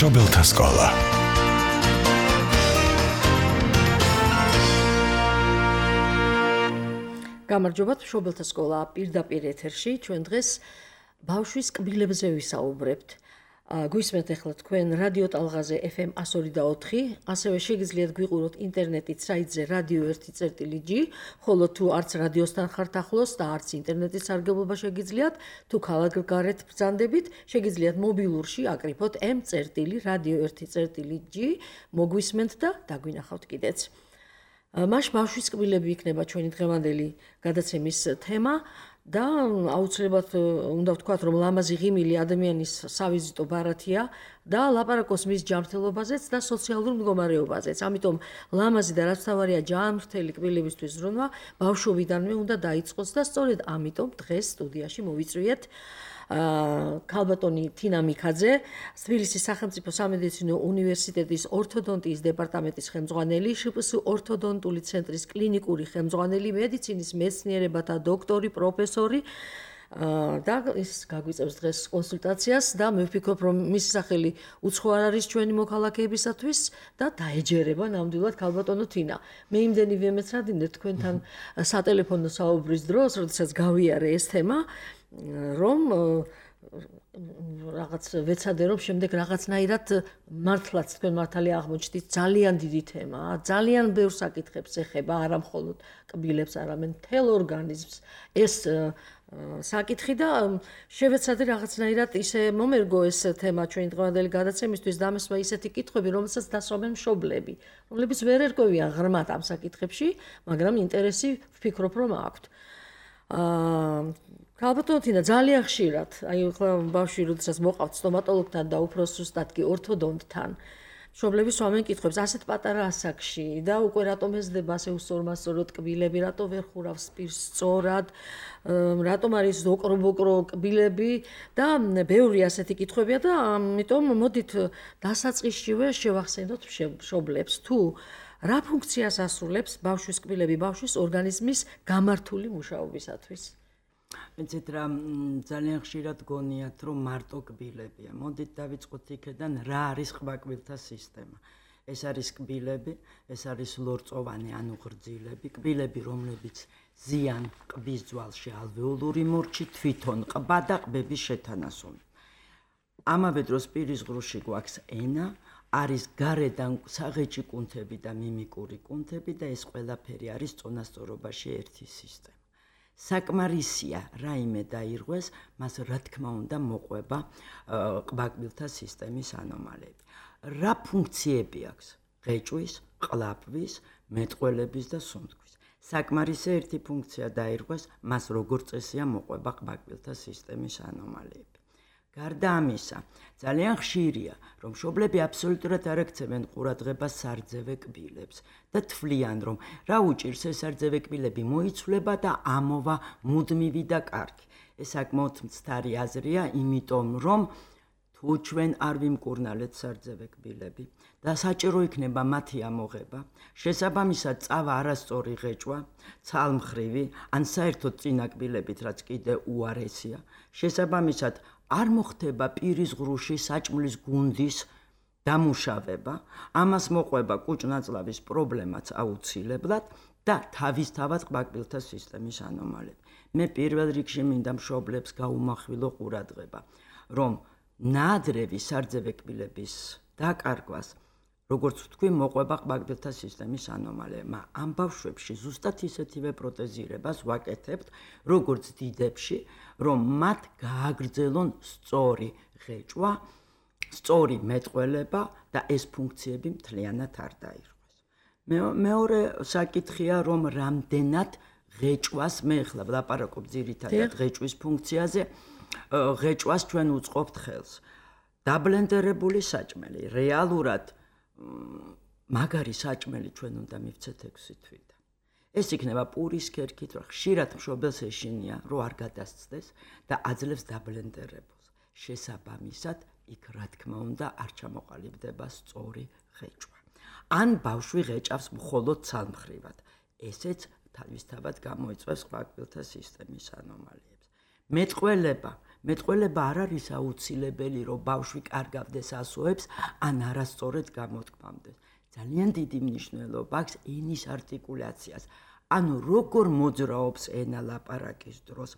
მშობელთა სკოლა. გამარჯობათ, მშობელთა სკოლა პირდაპირ ეთერში. ჩვენ დღეს ბავშვის კბილებზე ვისაუბრებთ. გვისმენთ ახლა თქვენ რადიო ტალღაზე FM 102.4, ასევე შეგიძლიათ გვიყუროთ ინტერნეტით საიტზე radio1.g, ხოლო თუ არც რადიოსთან ხართ ახლოს და არც ინტერნეტის სარგებლობა შეგიძლიათ, თუ ქალაქგარეთ ბრძანდებით, შეგიძლიათ მობილურში აკრიფოთ m.radio1.g, მოგვისმენთ და დაგვინახავთ კიდეც. მას ბავშვის კბილები იქნება ჩვენი დღევანდელი გადაცემის თემა და აუცილებლად უნდა ვთქვათ, რომ ლამაზი ღიმილი ადამიანის სავიზიტო ბარათია და ლაპარაკობს მის ჯანმრთელობაზეც და სოციალურ მდგომარეობაზეც. ამიტომ ლამაზი და რაც თავარია ჯანმრთელი კბილებისთვის ზრუნვა ბავშვობიდანვე უნდა დაიწყოს და სწორედ ამიტომ დღეს სტუდიაში მოვიწვიეთ ქალბატონი თინა მიქაძე, თბილისის სახელმწიფო სამედიცინო უნივერსიტეტის ორთოდონტიის დეპარტამენტის ხელმძღვანელი, შპს ორთოდონტული ცენტრის კლინიკური ხელმძღვანელი, მედიცინის მეცნიერებათა დოქტორი, პროფესორი და ის გაგვიწევს დღეს კონსულტაციას და მე ვფიქრობ, რომ მისი სახელი უცხო არ არის ჩვენი მოქალაქეებისათვის და დაეჯერება ნამდვილად ქალბატონო თინა. მე იმდენი ვემეცადინე თქვენთან სატელეფონო საუბრის დროს, როდესაც გავიარე ეს თემა, რომ რაღაც ვეცადე, რომ შემდეგ რაღაცნაირად მართლაც თქვენ მართალი აღმოჩნდით, ძალიან დიდი თემაა, ძალიან ბევრ საკითხებს ეხება, არა მხოლოდ კბილებს, არამედ მთელ ორგანიზმს ეს საკითხი და შევეცადე რაღაცნაირად ისე მომერგო ეს თემა ჩვენი დღევანდელი გადაცემისთვის და ამესვა ისეთი კითხვები, რომელსაც დასვამენ მშობლები, რომლებიც ვერ ერკვევიან ღრმად ამ საკითხებში, მაგრამ ინტერესი ვფიქრობ, რომ აქვთ. ქალბატონო თინა, ძალიან ხშირად, აი ახლა ბავშვი როდესაც მოყავთ სტომატოლოგთან და უფრო სუსტად კი ორთოდონტთან, მშობლები სვამენ კითხვებს ასეთ პატარა ასაკში და უკვე რატომ ეზდება ასე უსწორმასწოროდ კბილები, რატომ ვერ ხურავს პირს სწორად, რატომ არის ოკრო-ბოკრო კბილები და ბევრი ასეთი კითხვებია და ამიტომ მოდით დასაწყისშივე შევახსენოთ მშობლებს თუ რა ფუნქციას ასრულებს ბავშვის კბილები ბავშვის ორგანიზმის გამართული მუშაობისათვის. მეცეთ რა ძალიან ხშირად გონიათ, რომ მარტო კბილებია. მოდით დავიწყოთ იქედან, რა არის ყბაკბილთა სისტემა. ეს არის კბილები, ეს არის ლორწოვანი ანუ ღრძილები, კბილები, რომლებიც ზიან ყბის ძვალში ალვეოლური მორჩი, თვითონ ყბა და ყბების შეთანასული. ამავე დროს პირის ღრუში გვაქვს ენა, არის გარედან საღეჭი კუნთები და მიმიკური კუნთები და ეს ყველაფერი არის წონასწორობაში ერთი სისტემა. საკმარისია რაიმე დაირღვეს, მას რა თქმა უნდა მოყვება ყბაკბილთა სისტემის ანომალიები. რა ფუნქციები აქვს? ღეჭვის, ყლაპვის, მეტყველების და სუნთქვის. საკმარისია ერთი ფუნქცია დაირღვეს, მას როგორც წესია მოყვება ყბაკბილთა სისტემის ანომალიები. გარდა ამისა, ძალიან ხშირია, რომ მშობლები აბსოლუტურად არ აქცევენ ყურადღებას სარძევე კბილებს და თვლიან, რომ რა უჭირს ეს სარძევე კბილები მოიცვლება და ამოვა მუდმივი და კარგი. ეს საკმაოდ მცდარი აზრია, იმიტომ რომ თუ ჩვენ არ ვიმკურნალეთ სარძევე კბილები და საჭირო იქნება მათი ამოღება, შესაბამისად წავა არასწორი ღეჭვა, ცალმხრივი, ან საერთოდ წინა კბილებით, რაც კიდე უარესია, შესაბამისად არ მოხდება პირის ღრუში საჭმლის გუნდის დამუშავება, ამას მოყვება კუჭ-ნაწლავის პრობლემაც აუცილებლად და თავისთავად ყბაკბილთა სისტემის ანომალიები. მე პირველ რიგში მინდა მშობლებს გაუმახვილო ყურადღება, რომ ნაადრევი სარძევე კბილების დაკარგვას, როგორც ვთქვი, მოყვება ყბაკბილთა სისტემის ანომალიებმა. ამ ბავშვებში ზუსტად ისეთივე პროტეზირებას ვაკეთებთ, როგორც დიდებში, რომ მათ გააგრძელონ სწორი ღეჭვა, სწორი მეტყველება და ეს ფუნქციები მთლიანად არ დაირღვეს. მეორე საკითხია, რომ რამდენად ღეჭვას, მე ახლა ვლაპარაკობ ძირითადად ღეჭვის ფუნქციაზე, ღეჭვას ჩვენ უწყობთ ხელს. დაბლენდერებული საჭმელი, რეალურად მაგარი საჭმელი ჩვენ უნდა მივცეთ 6 თვიდან. ეს იქნება პურის ქერქით, რომ ხშირად მშობელს ეშინია, რომ არ გადასცდეს და აძლევს დაბლენდერებულს. შესაბამისად, იქ რა თქმა უნდა არ ჩამოყალიბდება სწორი ღეჭვა. ან ბავშვი ღეჭავს მხოლოდ ცალმხრივად. ესეც თავისთავად გამოიწვევს ყბაკბილთა სისტემის ანომალიებს. მეტყველება მეტყველება არ არის აუცილებელი, რომ ბავშვი კარგავდეს ასოებს, ან არასწორად გამოთქმამდეს. ძალიან დიდი მნიშვნელობა აქვს ენის არტიკულაციას. ანუ როგორ მოძრაობს ენა ლაპარაკის დროს.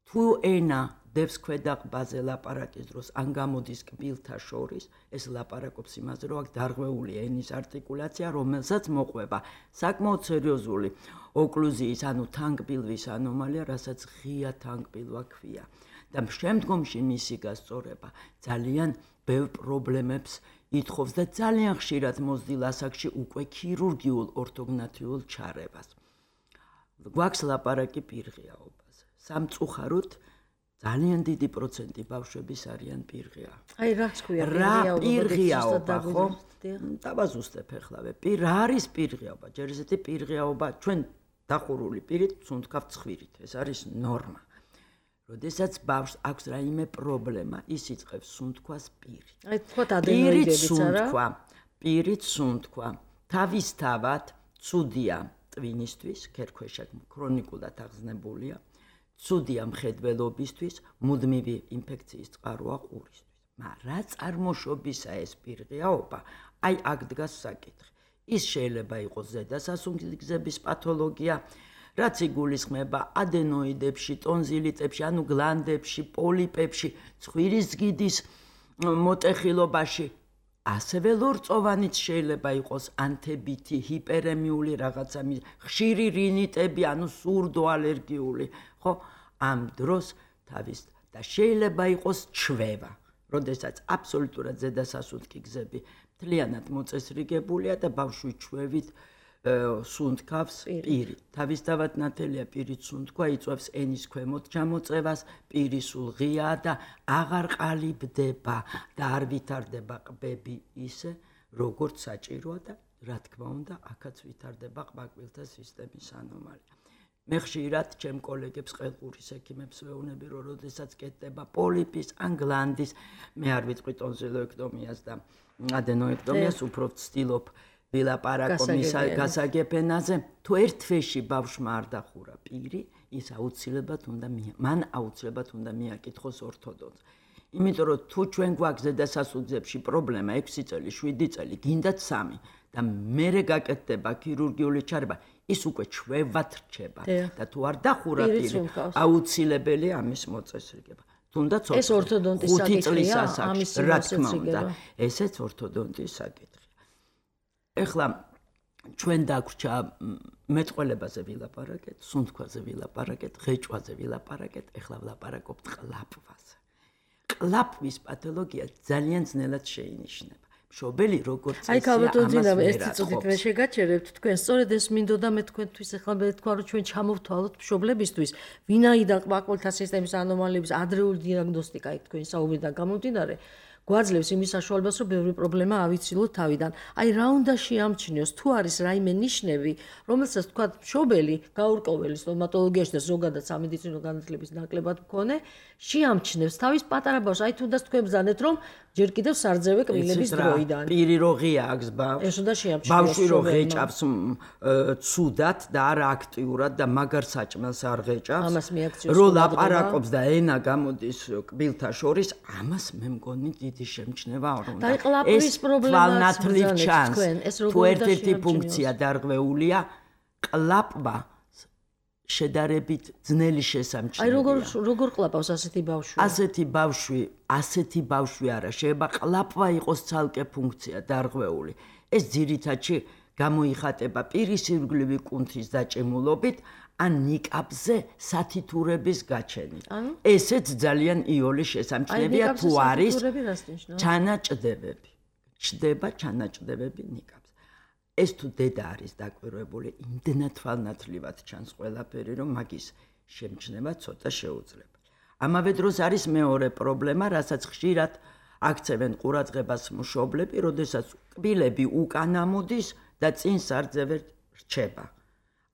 თუ ენა დევს ქვედაყბაზე ლაპარაკის დროს, ან გამოდის კბილთა შორის, ეს ლაპარაკობს იმაზე, რომ აქ დარღვეული ენის არტიკულაცია, რომელსაც მოყვება საკმაოდ სერიოზული ოკლუზიის, ანუ თანგბილვის ანომალია, რასაც ღია თანგბილვა ქვია. და შემდგომში მისი გასწორება ძალიან ბევრ პრობლემებს ითხოვს და ძალიან ხშირად მოსდილ ასაკში უკვე ქირურგიულ ორთოგნათიულ ჩარევას. გვაქვს ლაპარაკი პირღიაობაზე. სამწუხაროდ ძალიან დიდი პროცენტი ბავშვების არიან პირღია. აი რაც ქვია პირღიაობა, ხო? დავაზუსტებ ეხლავე. რა არის პირღიაობა? ჯერ ესეთი პირღიაობა ჩვენ დახურული პირით სუნთქავთ ცხვირით. ეს არის ნორმა. როდესაც ბავშვს აქვს რაიმე პრობლემა, ის იწყებს სუნთქვას პირით. აი თქვა ადენოიდებიც არა? პირით სუნთქვა. თავისთავად ცუდია ტვინისთვის, ქერქვეშა ქრონიკულად აღზნებულია. ცუდია მხედველობისთვის, მუდმივი ინფექციის წყაროა ყურისთვის. მაგრამ რა წარმოშობისა ეს პირღიაობა, აი აქ დგას საკითხი. ის შეიძლება იყოს ზედასასუნთქების პათოლოგია, რაც იგულისხმება ადენოიდებში, ტონზილიტებში, ანუ გლანდებში, პოლიპებში, ცხვირის ზგიდის მოტეხილობაში. ასევე ლორწოვანიც შეიძლება იყოს ანთებითი, ჰიპერემიული რაღაცა, ხშირი რინიტები, ანუ სურდო ალერგიული, ხო? ამ დროს თავის და შეიძლება იყოს ჩვევა, როდესაც აბსოლუტურად ზედასასუნთქი გზები მთლიანად მოწესრიგებულია და ბავშვი ჩვევით სუნთქავს პირით. თავისთავად ნათელია პირით სუნთქვა იწვევს ენის ქვემოთ ჩამოწევას, პირი სულ ღიაა და აღარ ყალიბდება და არ ვითარდება ყბები ისე, როგორც საჭიროა და რა თქმა უნდა, აქაც ვითარდება ყბაკბილთა სისტემის ანომალია. მე ხშირად ჩემ კოლეგებს ყელყურის ექიმებს ვეუბნები, რომ როდესაც კეთდება პოლიპის ან გლანდის, მე არ ვიტყვი ტონზილოექტომიას და ადენოექტომიას, უფრო ვცდილობ ვილაპარაკო გასაგებენაზე. თუ ერთ თვეში ბავშვმა არ დახურა პირი, ის მან აუცილებლად უნდა მიაკითხოს ორთოდონტს. იმიტომ რომ თუ ჩვენ გვაქვს ზედასასუნთქებში პრობლემა 6 წელი, 7 წელი, გინდათ 3 და მერე გაკეთდება ქირურგიული ჩარევა, ის უკვე ჩვევად რჩება და თუ არ დახურა პირი, აუცილებელია ამის მოწესრიგება. თუნდაც ეს ორთოდონტის საკითხია, ამის რა თქმა უნდა, ესეც ორთოდონტის საკითხია. ეხლა ჩვენ დაგვრჩა მეტყველებაზე ვილაპარაკეთ, სუნთქვაზე ვილაპარაკეთ, ღეჭვაზე ვილაპარაკეთ, ეხლა ვილაპარაკობთ ყლაპვაზე. ყლაპვის პათოლოგია ძალიან ძნელად შეინიშნება. მშობელი როგორც წესი ამას ეს წუთით მე შეგაჩერებთ თქვენ, სწორედ ეს მინდოდა მე თქვენთვის ეხლა მე თქვა რომ ჩვენ ჩამოვთვალოთ მშობლებისთვის, ვინაიდან ყბაკბილთა სისტემის ანომალიების ადრეული დიაგნოსტიკა იქ თქვენი საუბრიდან გამომდინარე გვაძლევს იმის საშუალებას, რომ ბევრი პრობლემა ავიცილოთ თავიდან. აი რა უნდა შეამჩნიოს, თუ არის რაიმე ნიშნები, რომელსაც თქვა მშობელი გაურკვეველი სტომატოლოგიაში და ზოგადად სამედიცინო განათლების ნაკლებად მქონე, შეამჩნევს თავის პატარა ბავშვს. აი თუნდაც თქვენ ბრძანეთ, რომ ჯერ კიდევ სარძევე კბილების დროიდან. პირი რო ღია აქვს ბავშვს. ეს უნდა შეამჩნიოს. ბავშვი რო ღეჭავს ცუდად და არა აქტიურად და მაგარ საჭმელს არ ღეჭავს. ამას მიაქციოს. რო ლაპარაკობს და ენა გამოდის კბილთა შორის, ამას მე მგონი დიდი შემჩნევა არ უნდა. და ყლაპვის პრობლემას ბრძანეთ თქვენ. ეს თუ ერთ-ერთი ფუნქცია დარღვეულია, ყლაპვა შედარებით ძნელი შესამჩნევია. აი როგორ ყლაპავს ასეთი ბავშვი? ასეთი ბავშვი არა, შეიძლება ყლაპვა იყოს ცალკე ფუნქცია დარღვეული. ეს ძირითადში გამოიხატება პირის ირგვლივი კუნთის დაჭიმულობით ან ნიკაპზე სათითურების გაჩენით. ესეც ძალიან იოლი შესამჩნევია თუ არის ჩანაჭდებები. ჩდება ჩანაჭდებები ნიკაპზე. ეს თუ დედა არის დაკვირვებული, იმდენად თვალნათლივად ჩანს ყველაფერი, რომ მაგის შემჩნევა ცოტა შეუძლება. ამავე დროს არის მეორე პრობლემა, რასაც ხშირად აქცევენ ყურადღებას მშობლები, როდესაც კბილები უკან ამოდის და წინ სარძევე რჩება.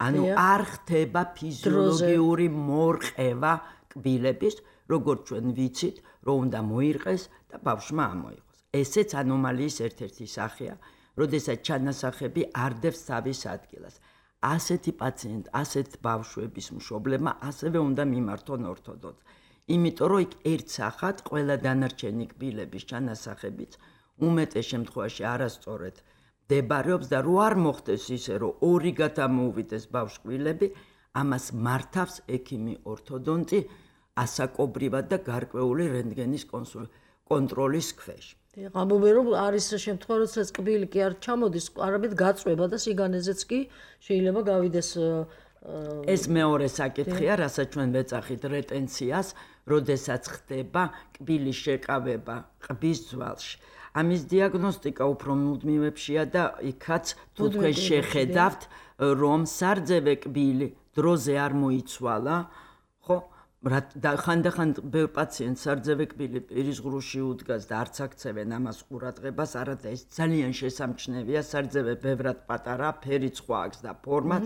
ანუ არ ხდება ფიზიოლოგიური მორყევა კბილების, როგორც ჩვენ ვიცით, რომ უნდა მოირყეს და ბავშვმა ამოიღოს. ესეც ანომალიის ერთ-ერთი სახეა. როდესაც ჩანასახები არ დევს თავის ადგილას. ასეთი პაციენტ, ასეთ ბავშვების მშობლებმა ასევე უნდა მიმართონ ორთოდონტს. იმიტომ რომ იქ ერთ სახად ყველა დანარჩენი კბილების ჩანასახებიც უმეტეს შემთხვევაში არასწორად მდებარეობს და რო არ მოხდეს ისე რომ ორი გადამოუვიდეს ბავშვს კბილები, ამას მართავს ექიმი ორთოდონტი ასაკობრივად და გარკვეული რენტგენის კონტროლის ქვეშ. ამბობენ რომ არის შემთხვევა, როდესაც კბილი კი არ ჩამოდის, არამედ გაწვება და სიგანეზეც კი შეიძლება გავიდეს. ეს მეორე საკითხია, რასაც ჩვენ ვეძახით რეტენციას, როდესაც ხდება კბილის შეკავება ყბის ძვალში. ამის დიაგნოსტიკა უფრო მუდმივებშია და იქაც თუ თქვენ შეხედავთ, რომ სარძევე კბილი დროზე არ მოიცვალა, ხო? ხანდახან ბევრ პაციენტს სარძევე კბილი პირის ღრუში უდგას და არც აქცევენ ამას ყურადღებას, არადა ეს ძალიან შესამჩნევია, სარძევე ბევრად პატარა, ფერიც სხვა აქვს და ფორმაც.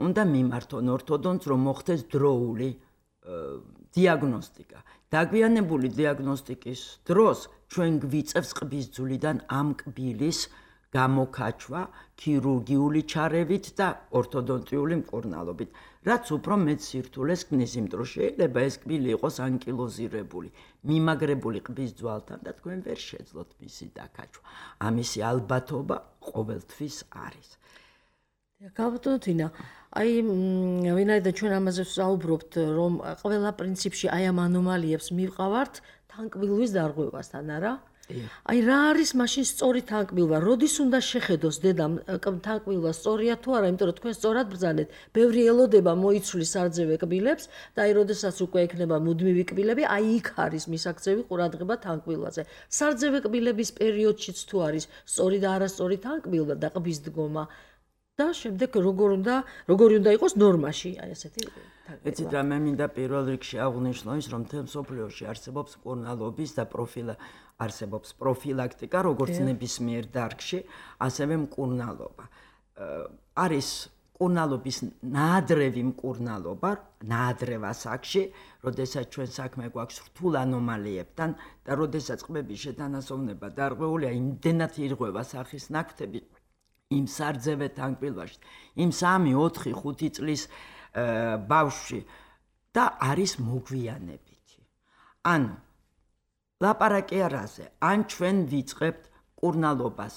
უნდა მიმართონ ორთოდონტს, რომ მოხდეს დროული დიაგნოსტიკა. დაგვიანებული დიაგნოსტიკის დროს ჩვენ გვიწევს ყბის ძვლიდან ამ კბილის გამოკაჩვა ქირურგიული ჩარევით და ორთოდონტიული მკურნალობით, რაც უფრო მეტ სირთულეს ქმნის, იმიტომ რომ შეიძლება ეს კბილი იყოს ანკილოზირებული, მიმაგრებული ყბის ძვალთან და თქვენ ვერ შეძლოთ მისი დაკაჩვა. ამისი ალბათობა ყოველთვის არის. გაბატონთინა, აი ვინაიდან ჩვენ ამაზე ვსაუბრობთ, რომ ყველა პრინციპში აი ამ ანომალიებს მივყავართ თანკბილვის დარღვევასთან, არა? აი რა არის მაშინ სწორი თანკბილვა? როდის უნდა შეხედოს დედამ თანკბილვა სწორია თუ არა, იმიტომ რომ თქვენ სწორად ბრძანეთ, ბევრი ელოდება მოიცვლის სარძევე კბილებს და აი როდესაც უკვე ექნება მუდმივი კბილები, აი იქ არის მისაქცევი ყურადღება თანკბილვაზე. სარძევე კბილების პერიოდშიც თუ არის სწორი და არასწორი თანკბილვა და ყბის დგომა და შემდეგ როგორი უნდა იყოს ნორმაში, აი ესეთი თანკბილვა. ეცით რა მე მინდა პირველ რიგში აღვნიშნო ის, რომ მთელ მსოფლიოში არსებობს მკურნალობის და არსებობს პროფილაქტიკა, როგორც ნებისმიერ დარგში, ასევე მკურნალობა. არის მკურნალობის ნაადრევი მკურნალობა, ნაადრევ ასაკში, როდესაც ჩვენ საქმე გვაქვს რთულ ანომალიებთან და როდესაც ყბების შეთანასოვნება დარღვეულია, იმდენად ირღვევა სახის ნაკვთები იმ სარძევე თანკბილვაში, იმ 3, 4, 5 წლის ბავშვში და არის მოგვიანებითი. ანუ ლაპარაკი არაზე, ან ჩვენ ვიწყებთ მკურნალობას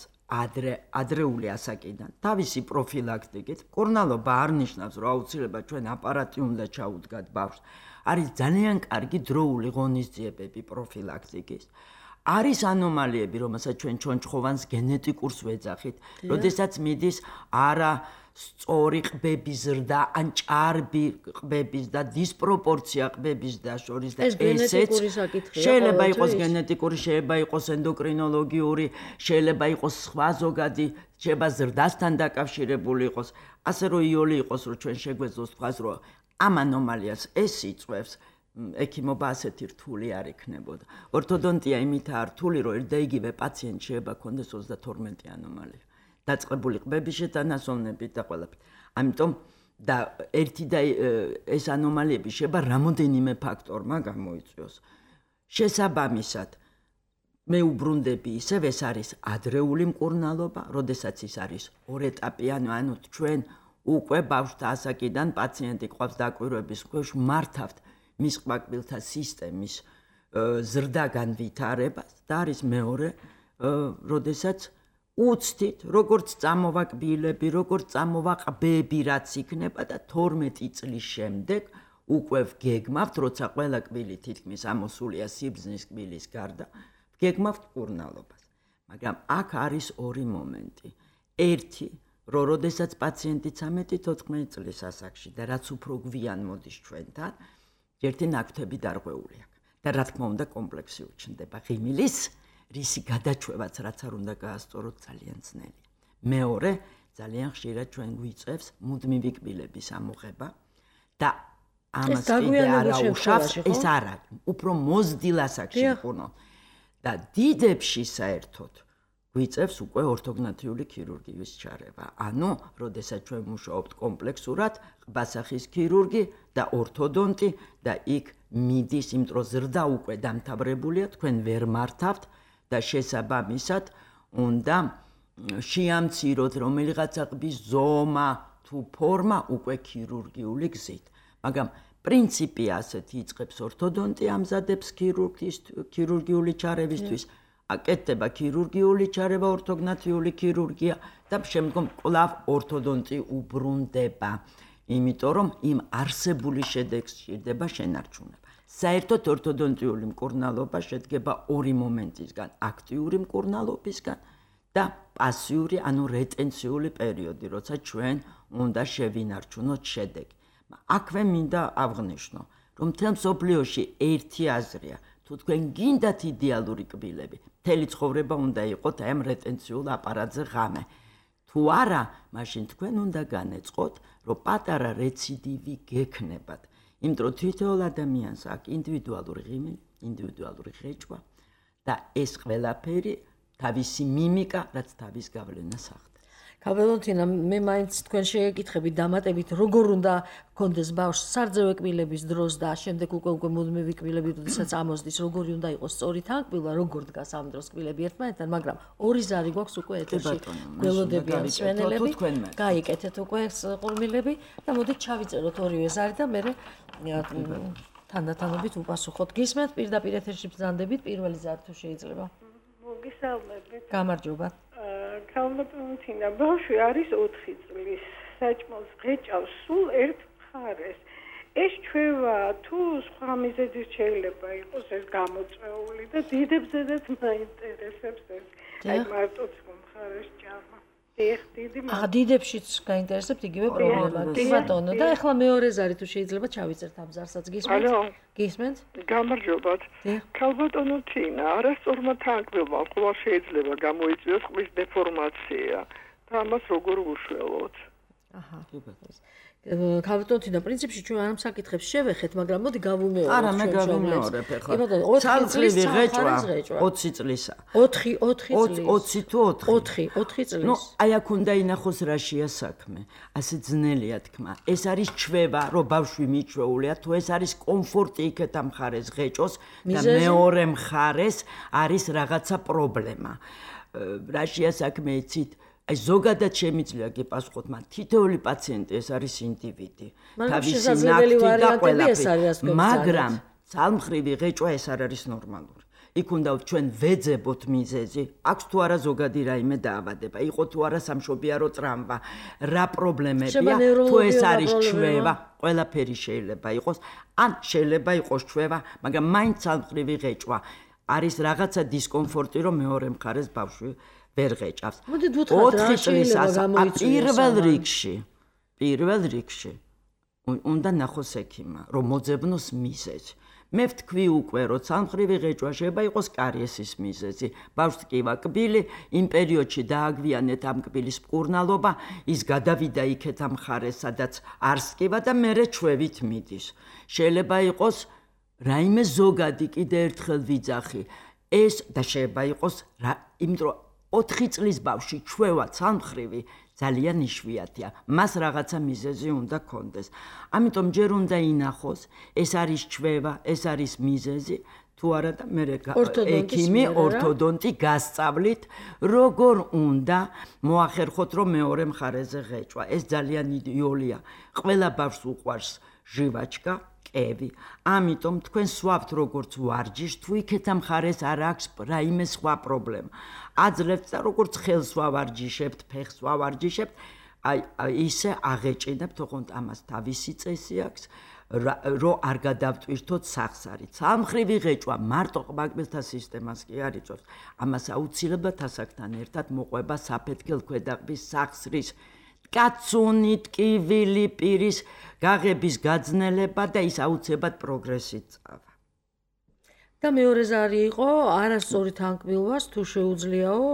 ადრეული ასაკიდან, თავისი პროფილაქტიკით. მკურნალობა არ ნიშნავს, რომ აუცილებლად ჩვენ აპარატი უნდა ჩაუდგათ ბავშვს. არის ძალიან კარგი დროული ღონისძიებები პროფილაქტიკის. არის ანომალიები, რომელსაც ჩვენ ჩონჩხოვანს გენეტიკურს ვეძახით, როდესაც მიდის არა სწორი ყბების ზრდა, ან ჭარბი ყბების და დისპროპორცია ყბების და შორის და ესეც შეიძლება იყოს გენეტიკური, შეიძლება იყოს ენდოკრინოლოგიური, შეიძლება იყოს სხვა ზოგადი, შეიძლება ზრდასთან დაკავშირებული იყოს, ასე რომ იოლი იყოს, რომ ჩვენ შეგვეძლოს თქვას, რომ ამ ანომალიას ეს იწვევს. ექიმობა ასეთი რთული არ იქნებოდა. ორთოდონტია იმითაა რთული, რომ ერთ და იგივე პაციენტ შეიძლება ქონდეს 32 ანომალია. დაწყებული ყბების შეთანასოვნებით და ყველაფერი. ამიტომ და ერთი და ეს ანომალიები შეიძლება რამოდენიმე ფაქტორმა გამოიწვიოს. შესაბამისად, მე უბრუნდები ისევ ეს არის ადრეული მკურნალობა, როდესაც ის არის ორეტაპიანი, ანუ ჩვენ უკვე ბავშვთა ასაკიდან პაციენტი ყავს დაკვირვების ქვეშ მართავთ მის ყბაკბილთა სისტემის ზრდაგან ვითარებას და არის მეორე, როდესაც უცდით, როგორც წამოვა კბილები, როგორც წამოვა ყბები, რაც იქნება და 12 წლის შემდეგ უკვე ვგეგმავთ, როცა ყველა კბილი თითქმის ამოსულია სიბრძნის კბილის გარდა, ვგეგმავთ მკურნალობას. მაგრამ აქ არის ორი მომენტი. ერთი, რომ როდესაც პაციენტი 13-14 წლის ასაკში და რაც უფრო გვიან მოდის ჩვენთან, ერთი ნაკვთები დარღვეული აქვს და რა თქმა უნდა კომპლექსი უჩნდება ღიმილის, რისი გადაჩვევაც რაც არ უნდა გაასწოროთ ძალიან ძნელია. მეორე, ძალიან ხშირად ჩვენ გვიწევს მუდმივი კბილების ამოღება და ამას კიდე არაუშავს, ეს არა, უფრო მოზრდილ ასაკში მკურნალ და დიდებში საერთოდ გვიწევს უკვე ორთოგნათიური ქირურგიის ჩარევა. ანუ, როდესაც ჩვენ მუშაობთ კომპლექსურად, ყბასახის ქირურგი და ორთოდონტი და იქ მიდის, იმიტომ რომ ზრდა უკვე დამთავრებულია, თქვენ ვერ მართავთ და შესაბამისად უნდა შეამციროთ რომელიღაცა ყბის ზომა თუ ფორმა უკვე ქირურგიული გზით. მაგრამ პრინციპი ასეთი იწყებს ორთოდონტი ამზადებს ქირურგიული ჩარევისთვის, აკეთდება ქირურგიული ჩარევა, ორთოგნათიური ქირურგია და შემდგომ კვლავ ორთოდონტი უბრუნდება, იმიტომ რომ იმ არსებული შედეგს სჭირდება შენარჩუნება. საერთოდ ორთოდონტიული მკურნალობა შედგება ორი მომენტისგან, აქტიური მკურნალობისგან და პასიური, ანუ რეტენციული პერიოდი, როცა ჩვენ უნდა შევინარჩუნოთ შედეგი. აქვე მინდა აღვნიშნო, რომ მთელ მსოფლიოში ერთი აზრია, თუ თქვენ გინდათ იდეალური კბილები, მთელი ცხოვრება უნდა იყოთ აი ამ რეტენციულ აპარატზე ღამე. თუ არა, მაშინ თქვენ უნდა განეწყოთ, რომ პატარა რეციდივი გექნებათ. იმიტომ რომ თითოეულ ადამიანს აქვს ინდივიდუალური ღიმილი, ინდივიდუალური ღეჭვა და ეს ყველაფერი თავისი მიმიკა, რაც თავის გავლენას ახდენს. კაბელონთინა, მე მაინც თქვენ შეგეკითხებით დამატებით, როგორ უნდა გქონდეს ბავშვს სარძევე კბილების დროს და შემდეგ უკვე მუდმივი კბილები, როდესაც ამოსდის, როგორი უნდა იყოს სწორი თანკბილვა, როგორ დგას ამ დროს კბილები ერთმანეთთან, მაგრამ ორი ზარი გვაქვს უკვე ეთერში. გველოდებიან მსმენელები. გაიკეთეთ უკვე ყურმილები და მოდით ჩავიწეროთ ორივე ზარი და მე თანდათანობით უპასუხოთ. გისმენთ პირდაპირ ეთერში ბრძანდებით პირველი ზარი თუ შეიძლება. მოგესალმებით. გამარჯობა. კალმატონთინა, ბავშვი არის 4 წლის, საჭმელს ღეჭავს სულ ერთ მხარეს. ეს ჩვევა თუ სხვა მიზეზით შეიძლება იყოს ეს გამოწვეული და დიდებზედაც მაინტერესებს ეს. აი მარტო მხარეს ჭამა. დიდებშიც გაინტერესებთ იგივე პრობლემა. კი ბატონო, და ახლა მეორე ზარი თუ შეიძლება ჩავიწერთ ამ ზარსაც. გისმენთ? გისმენთ? გამარჯობათ. კალბატონოთინა, არასწორმა თანკბილმა ყოველ შეიძლება გამოიწვიოს ყბის დეფორმაცია და ამას როგორ უშველოთ? აჰა. კალბატონოთინა, პრინციპში ჩვენ ამ საკითხებს შევეხეთ, მაგრამ მოდი გავუმეოროთ. არა, მე გავუმეორებ ახლა. ცალმხრივი ღეჭვა 20 წლისა. 20 თუ 4? 4 წლის. ნუ აი აქ უნდა ინახოს რა შეა საქმე. ასე ძნელია თქმა. ეს არის ჩვევა, რომ ბავშვი მიჩვეულია, თუ ეს არის კომფორტი იქეთ ამ მხარეს ღეჭოს და მეორე მხარეს არის რაღაცა პრობლემა. რა შეა საქმე იცით? აი ზოგადად შემიძლია გიპასუხოთ, მაგრამ თითოეული პაციენტი ეს არის ინდივიდი. თავისი ნაკვთი და ყველაფერი. მაგრამ ცალმხრივი ღეჭვა ეს არ არის ნორმალური. იქ უნდა ჩვენ ვეძებოთ მიზეზი, აქვს თუ არა ზოგადი რაიმე დაავადება, იყო თუ არა სამშობიარო ტრამვა, რა პრობლემებია, თუ ეს არის ჩვევა, ყველაფერი შეიძლება იყოს, ან შეიძლება იყოს ჩვევა, მაგრამ მაინც ცალმხრივი ღეჭვა არის რაღაცა დისკომფორტი, რომ მეორე მხარეს ბავშვი ვერ ღეჭავს. 4 წლისას პირველ რიგში უნდა ნახოს ექიმა, რომ მოძებნოს მიზეზი. მე ვთქვი უკვე, რომ ცალმხრივი ღეჭვა შეიძლება იყოს კარიესის მიზეზი. ბავშვს ტკივა კბილი, იმ პერიოდში დააგვიანეთ ამ კბილის მკურნალობა, ის გადავიდა იქეთ ამ მხარეს, სადაც არს ტკივა და მერე ჩვევით მიდის. შეიძლება იყოს რაიმე ზოგადი, კიდე ერთხელ ვიძახი. ეს და შეიძლება იყოს იმიტომ რომ 4 წლის ბავშვი ჩვევა ცალმხრივი ძალიან იშვიათია. მას რაღაცა მიზეზი უნდა კონდეს. ამიტომ ჯერ უნდა ინახოს, ეს არის ჩვევა, ეს არის მიზეზი, თუ არა და მე ექიმი ორთოდონტი გასწავლით, როგორ უნდა მოახერხოთ, რომ მეორე მხარეზე ღეჭვა. ეს ძალიან იდეოლია. ყველა ბავშვს უყვარს ჟივაჩკა, კევი. ამიტომ თქვენ სვავთ როგორც ვარჯიშს, თუ იქეთ ამ მხარეს არ აქვს რაიმე სხვა პრობლემა. აძლევთ და როგორც ხელს ვავარჯიშებთ, ფეხს ვავარჯიშებთ, აი ისე აღეჭინებთ, თქო ამას თავისი წესი აქვს, რომ არ გადავტვირთოთ სახსარი. ცალმხრივი ღეჭვა მარტო ყბაკბილთა სისტემას კი არ იწვევს. ამას აუცილებლად ასაკთან ერთად მოყვება საფეთქელ ქვედაყბის სახსრის კაცუნი, ტკივილი, პირის გაღების გაძნელება და ის აუცილებლად პროგრესით წავა. და მეორე ზარი იყო არასწორი თანკბილვას თუ შეუძლიაო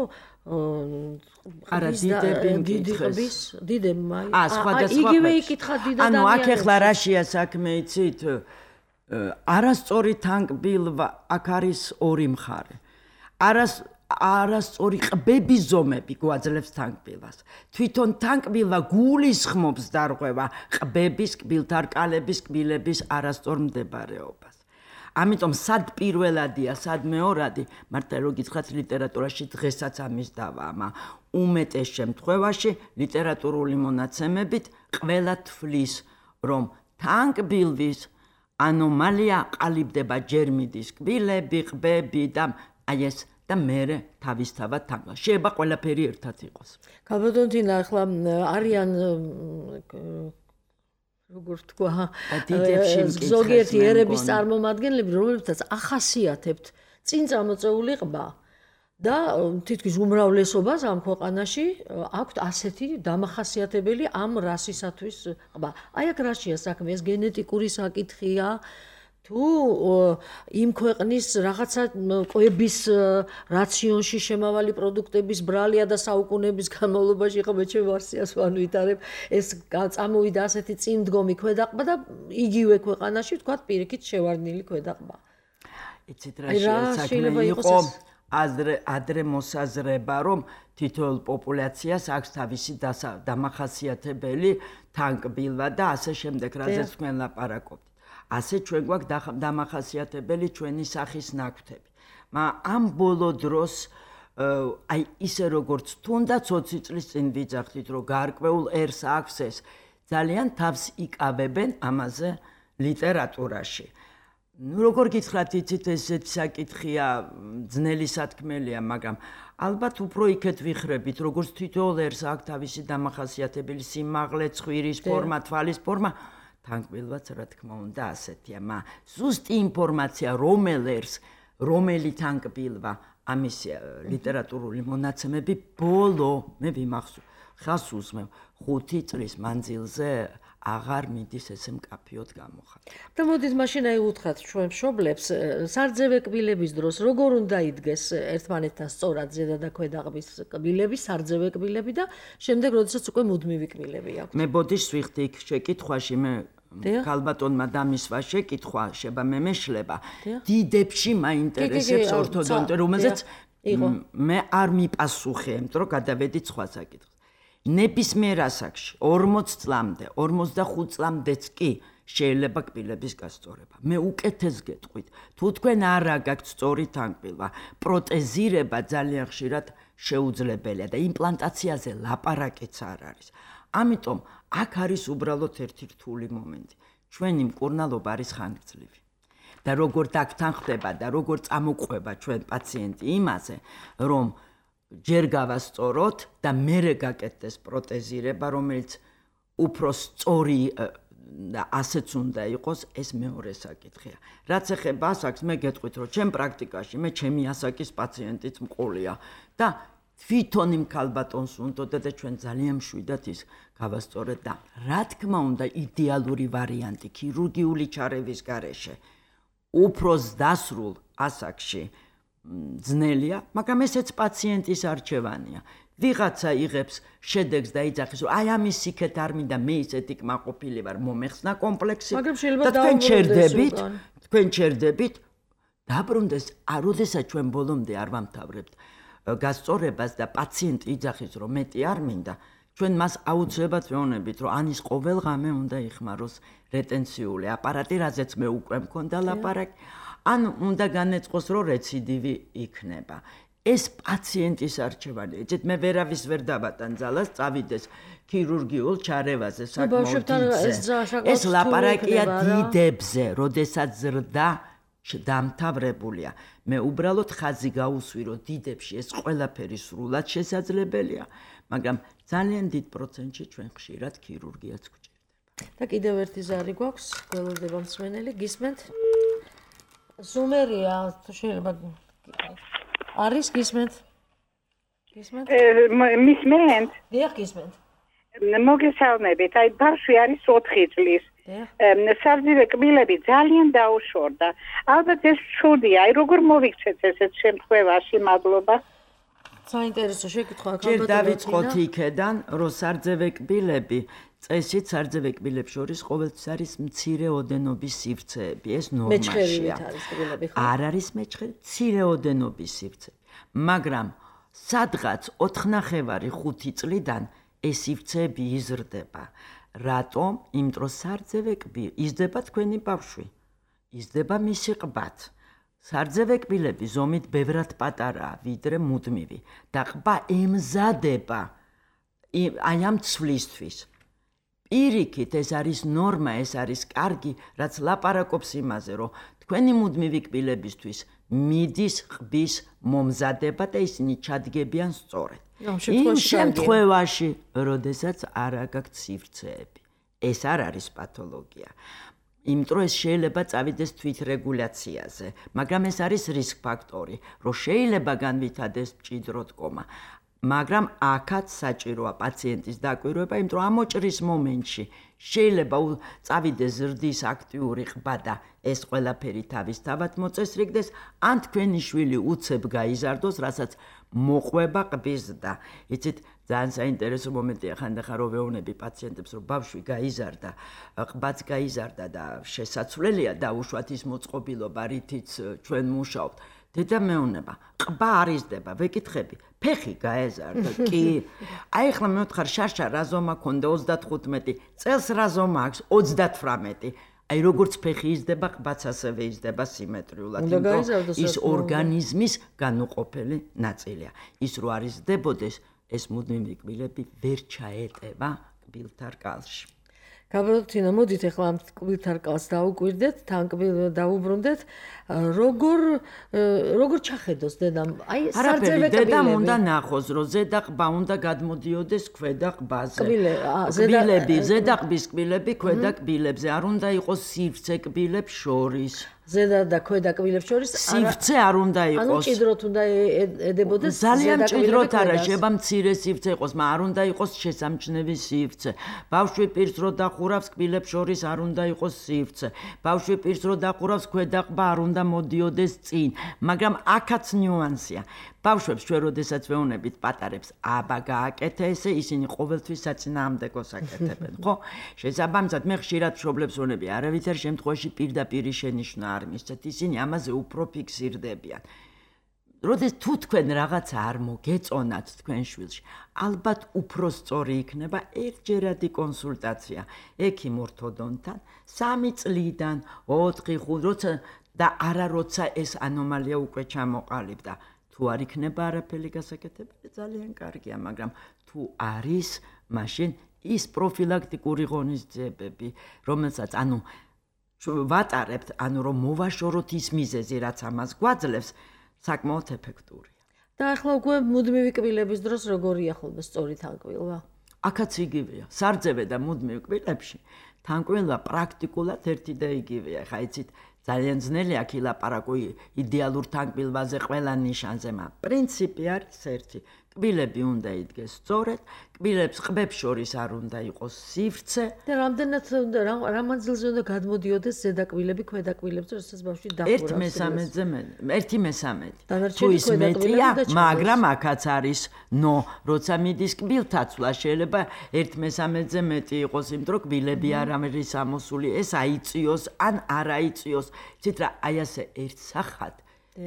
არა დიდების დიდებმა სხვადასხვა იგივე იკითხა დიდად ანუ აქ ახლა რა შეა საქმე იცით არასწორი თანკბილვა აქ არის ორი მხარე არასწორი ყბების ზომები გვაძლევს თანკბილვას. თვითონ თანკბილვა გულისხმობს დარღვევა ყბების, კბილთარკალების, კბილების არასწორ მდებარეობას. ამიტომ სად პირველადია, სად მეორადი, მართლა რო გითხრათ ლიტერატურაში დღესაც ამის დავამა. უმეტეს შემთხვევაში ლიტერატურული მონაცემებით ყველა თვლის, რომ თანკბილვის ანომალია ყალიბდება ჯერ მიდის კბილები, ყბები და აი ეს და მერე თავისთავად თანგა. შეიძლება ყველაფერი ერთად იყოს. ქალბატონთინა ახლა არიან როგორ თქვა, ზოგიერთი ერების წარმომადგენლები, რომლებსაც ახასიათებთ წინ წამოწეული ყბა და თითქმის უმრავლესობას ამ ქვეყანაში აქვთ ასეთი დამახასიათებელი ამ რასისათვის ყბა. აი აქ რაშია საქმე, ეს გენეტიკური საკითხია თუ იმ ქვეყნის რაღაცა კვების რაციონში შემავალი პროდუქტების ბრალია და საუკუნეების განმავლობაში ხომ მეჩვენ ვარსიას ვანვითარებ ეს წამოვიდა ასეთი წინდგომი ქვედაყბა და იგივე ქვეყანაში თქვათ პირიქით შევარდნილი ქვედაყბა. იცით რა საქმე იყო ადრე მოსაზრება რომ თითოეულ პოპულაციას აქვს თავისი დამახასიათებელი თანკბილვა და ასე შემდეგ რაზეც თქვენ ლაპარაკობთ. ასე ჩვენ გვაქვს დამახასიათებელი ჩვენი სახის ნაკვთები. მაგრამ ამ ბოლო დროს აი ისე როგორც თუნდაც 20 წლის წინ ვიძახდით რომ გარკვეულ ერს აქვს ეს ძალიან თავს იკავებენ ამაზე ლიტერატურაში. როგორ გითხრათ იცით ესეთ საკითხია ძნელი სათქმელია, მაგრამ ალბათ უფრო იქეთ ვიხრებით, როგორც თითოეულ ერს აქვს თავისი დამახასიათებელი სიმაღლე, ცხვირის ფორმა, თვალის ფორმა, თანკბილვაც რა თქმა უნდა ასეთია, მაგრამ ზუსტი ინფორმაცია რომელ ერს, რომელი თანკბილვა, ამის ლიტერატურული მონაცემები ბოლო მე ვიმახსოვს, ხას უსმევ 5 წლის მანძილზე აღარ მიდის ესე მკაფიოდ გამოხატვა. და მოდით მაშინ აი უთხრათ ჩვენ მშობლებს სარძევე კბილების დროს როგორ უნდა იდგეს ერთმანეთთან სწორად ზედა და ქვედა ყბის კბილები, სარძევე კბილები და შემდეგ როდესაც უკვე მუდმივი კბილები აქვს. მე ბოდიშს ვიხდი იქ შეკითხვაში მე ქალბატონმა დამისვა შეკითხვა შეება მე მეშლება. დიდებში მაინტერესებს ორთოდონტი, რომელზეც მე არ მიპასუხე, იმიტომ რომ გადავედი სხვა საკითხს. ნებისმიერ ასაკში 40 წლამდე, 45 წლამდეც კი შეიძლება კბილების გასწორება. მე უკეთეს გეტყვით, თუ თქვენ არ აგაქვთ სწორი თანკბილვა, პროტეზირება ძალიან ხშირად შეუძლებელია და იმპლანტაციაზე ლაპარაკიც არ არის. ამიტომ აქ არის უბრალოდ ერთი რთული მომენტი. ჩვენი მკურნალობა არის ხანგრძლივი. და როგორ დაგთანხმდება და როგორ წამოყვება ჩვენ პაციენტი იმაზე, რომ ჯერ გავასწოროთ და მერე გაკეთდეს პროტეზირება, რომელიც უფრო სწორი და ასეც უნდა იყოს, ეს მეორე საკითხია. რაც ეხება ასაკს, მე გეტყვით, რომ ჩემ პრაქტიკაში მე ჩემი ასაკის პაციენტიც მყოლია და თვითონ იმ ქალბატონს უნდოდა და ჩვენ ძალიან მშვიდად ის გავასწორეთ და რა თქმა უნდა იდეალური ვარიანტი ქირურგიული ჩარევის გარეშე უფრო დასრულ ასაკში ძნელია, მაგრამ ესეც პაციენტის არჩევანია. ვიღაცა იღებს შედეგს და იძახის, რომ აი ამის იქეთ არ მინდა, მე ისეთი კმაყოფილი ვარ, მომეხსნა კომპლექსი. მაგრამ შეიძლება თქვენ ჩერდებით, დაბრუნდეს, როდესაც ჩვენ ბოლომდე არ ვამთავრებთ გასწორებას და პაციენტი იძახის, რომ მეტი არ მინდა, ჩვენ მას აუცილებლად ვეუბნებით, რომ ანის ყოველ ღამე უნდა იხმაროს რეტენციული აპარატი, რაზეც მე უკვე მქონდა ლაპარაკი. ან უნდა განეწყოს, რომ რეციდივი იქნება. ეს პაციენტის არჩევანია. იცით, მე ვერავის ვერ დავატან ძალას, წავიდეს ქირურგიულ ჩარევაზე, საკმაოდ დიდზე. ეს ლაპარაკია დიდებზე, როდესაც ზრდა დამთავრებულია. მე უბრალოდ ხაზი გავუსვი, რომ დიდებში ეს ყველაფერი სრულად შესაძლებელია, მაგრამ ძალიან დიდ პროცენტში ჩვენ ხშირად ქირურგიაც გვჭირდება. და კიდევ ერთი ზარი გვაქვს, გველოდება მსმენელი, გისმენთ? ზუმერია, თუ შეიძლება არის გისმენთ? გისმენთ? მისმენთ? დიახ, გისმენთ. მოგესალმებით, აი ბავშვი არის 4 წლის. სარძივე კბილები ძალიან დაუშორდა. ალბათ ეს ცუდია, აი როგორ მოვიქცეთ ესეთ შემთხვევაში, მადლობა. საინტერესო შეკითხვა ქალბატონო. ჯერ დავიწყოთ იქედან, რომ სარძივე კბილები წესით სარძივე კბილებს შორის ყოველთვის არის მცირე ოდენობის სივრცეები, ეს ნორმაშია. არ არის მეჩხერი, მცირე ოდენობის სივრცეები. მაგრამ სადღაც 4.5 წლიდან ეს სივრცეები იზრდება. რატომ? იმიტომ რომ სარძივე კბილი იზრდება თქვენი ბავშვი. იზრდება მისი ყბაც. სარძივე კბილები ზომით ბევრად პატარაა, ვიდრე მუდმივი და ყბა ემზადება აი ამ ცვლისთვის. პირიქით ეს არის ნორმა, ეს არის კარგი, რაც ლაპარაკობს იმაზე, რომ თქვენი მუდმივი კბილებისთვის მიდის ყბის მომზადება და ისინი ჩადგებიან სწორედ. იმ შემთხვევაში, როდესაც არ აგაქვთ სივრცეები, ეს არ არის პათოლოგია. იმიტომ რომ ეს შეიძლება წავიდეს თვითრეგულაციაზე, მაგრამ ეს არის რისკ ფაქტორი, რომ შეიძლება განვითარდეს მჭიდრო დგომა. მაგრამ აქაც საჭიროა პაციენტის დაკვირვება, იმიტომ რომ ამოჭრის მომენტში შეიძლება წავიდეს ზრდის აქტიური ყბა და ეს ყველაფერი თავისთავად მოწესრიგდეს, ან თქვენი შვილი უცებ გაიზარდოს, რასაც მოყვება ყბის და იცით ძალიან საინტერესო მომენტია ხანდახან რომ ვეუბნები პაციენტებს რომ ბავშვი გაიზარდა, ყბაც გაიზარდა და შესაძლებელია დაუშვათ ის მოწყობილობა, რითიც ჩვენ მუშაობთ. დედა მეუბნება, ყბა არ იზრდება, ვეკითხები, ფეხი გაეზარდა, კი. აი ახლა მე ვთხარ შარშა რა ზომა ქონდა 35 წელს რა ზომა აქვს 38. აი როგორც ფეხი იზრდება, ყბაც ასევე იზრდება სიმეტრიულად, ის ორგანიზმის განუყოფელი ნაწილია. ის რო არ იზრდებოდეს, ეს მუდმივი კბილები ვერ ჩაეტება კბილთა რკალში. გაბრალთინა, მოდით ახლა ამ კბილთა რკალს დაუკვირდეთ, თან დაუბრუნდეთ, როგორ ჩახედოს დედამ? აი სარწევე დედამ უნდა ნახოს, რომ ზედა ყბა უნდა გადმოდიოდეს ქვედა ყბაზე. კბილები, ზედა ყბის კბილები ქვედა კბილებზე, არ უნდა იყოს სივრცე კბილებს შორის. ზედა და ქვედა კბილებს შორის სივრცე არ უნდა იყოს. ანუ ჭიდროთ უნდა ედებოდეს ძალიან ჭიდროთ არა, შეიძლება მცირე სივრცე იყოს, მაგრამ არ უნდა იყოს შესამჩნევი სივრცე. ბავშვი პირს რო დახურავს კბილებს შორის არ უნდა იყოს სივრცე. ბავშვი პირს რო დახურავს ქვედა ყბა არ უნდა მოდიოდეს წინ, მაგრამ აქაც ნიუანსია. ბავშვებს ჩვენ როდესაც ვეუბნებით პატარებს, აბა გააკეთე ესე, ისინი ყოველთვის საწინააღმდეგოს აკეთებენ, ხო? შესაბამისად, მე ხშირად მშობლებს ვეუბნები, არავითარ შემთხვევაში პირდაპირი შენიშვნა არ მისცეთ, ისინი ამაზე უფრო ფიქსირდებიან. როდეს თუ თქვენ რაღაცა არ მოგეწონათ თქვენ შვილში, ალბათ უფრო სწორი იქნება ერთჯერადი კონსულტაცია ექიმ ორთოდონთან 3 წლიდან 4, 5, როცა და არა როცა ეს ანომალია უკვე ჩამოყალიბდა. თუ არ იქნება არაფერი გასაკეთებელი, ძალიან კარგია, მაგრამ თუ არის, მაშინ ის პროფილაქტიკური ღონისძიებები, რომელსაც ვატარებთ, რომ მოვაშოროთ ის მიზეზი, რაც ამას გვაძლევს, საკმაოდ ეფექტურია. და ახლა უკვე მუდმივი კბილების დროს როგორია ხოლმე სწორი თანკბილვა? აქაც იგივეა. სარწევე და მუდმივი კბილებში თანკბილვა პრაქტიკულად ერთი და იგივეა. ხა იცით, ძალიან ძნელი აქ ილაპარაკო იდეალურ თანკბილვაზე ყველა ნიშანზე, მაგრამ პრინციპი არის ერთი. კბილები უნდა იდგეს სწორედ, კბილებს ყბებს შორის არ უნდა იყოს სივრცე. და რამდენად რა მანძილზე უნდა გადმოდიოდეს ზედა კბილები ქვედა კბილებზე, როდესაც ბავშვი დახურავს? 1/3. თუ ის მეტია, მაგრამ აქაც არის როცა მიდის კბილთაცვლა, შეიძლება 1/3 მეტი იყოს, იმიტომ რომ კბილები არ არის ამოსული, ეს აიწიოს ან არ აიწიოს. იცით რა, აი ასე ერთსახად